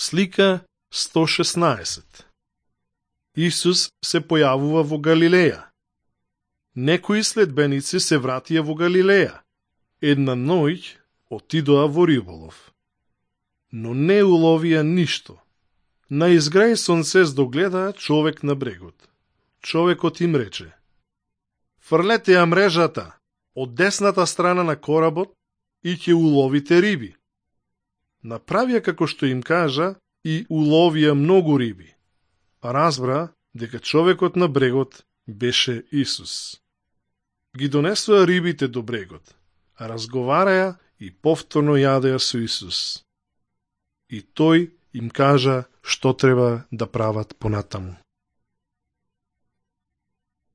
Слика 116. Исус се појавува во Галилеја. Некои следбеници се вратија во Галилеја. Една ноќ отидоа во риболов. Но не уловија ништо. На изграј сонце здогледаа човек на брегот. Човекот им рече: фрлете ја мрежата од десната страна на коработ и ќе уловите риби. Направија како што им кажа и уловија многу риби. Разбра дека човекот на брегот беше Исус. Ги донесоа рибите до брегот, а разговараја и повторно јадеа со Исус. И тој им кажа што треба да прават понатаму.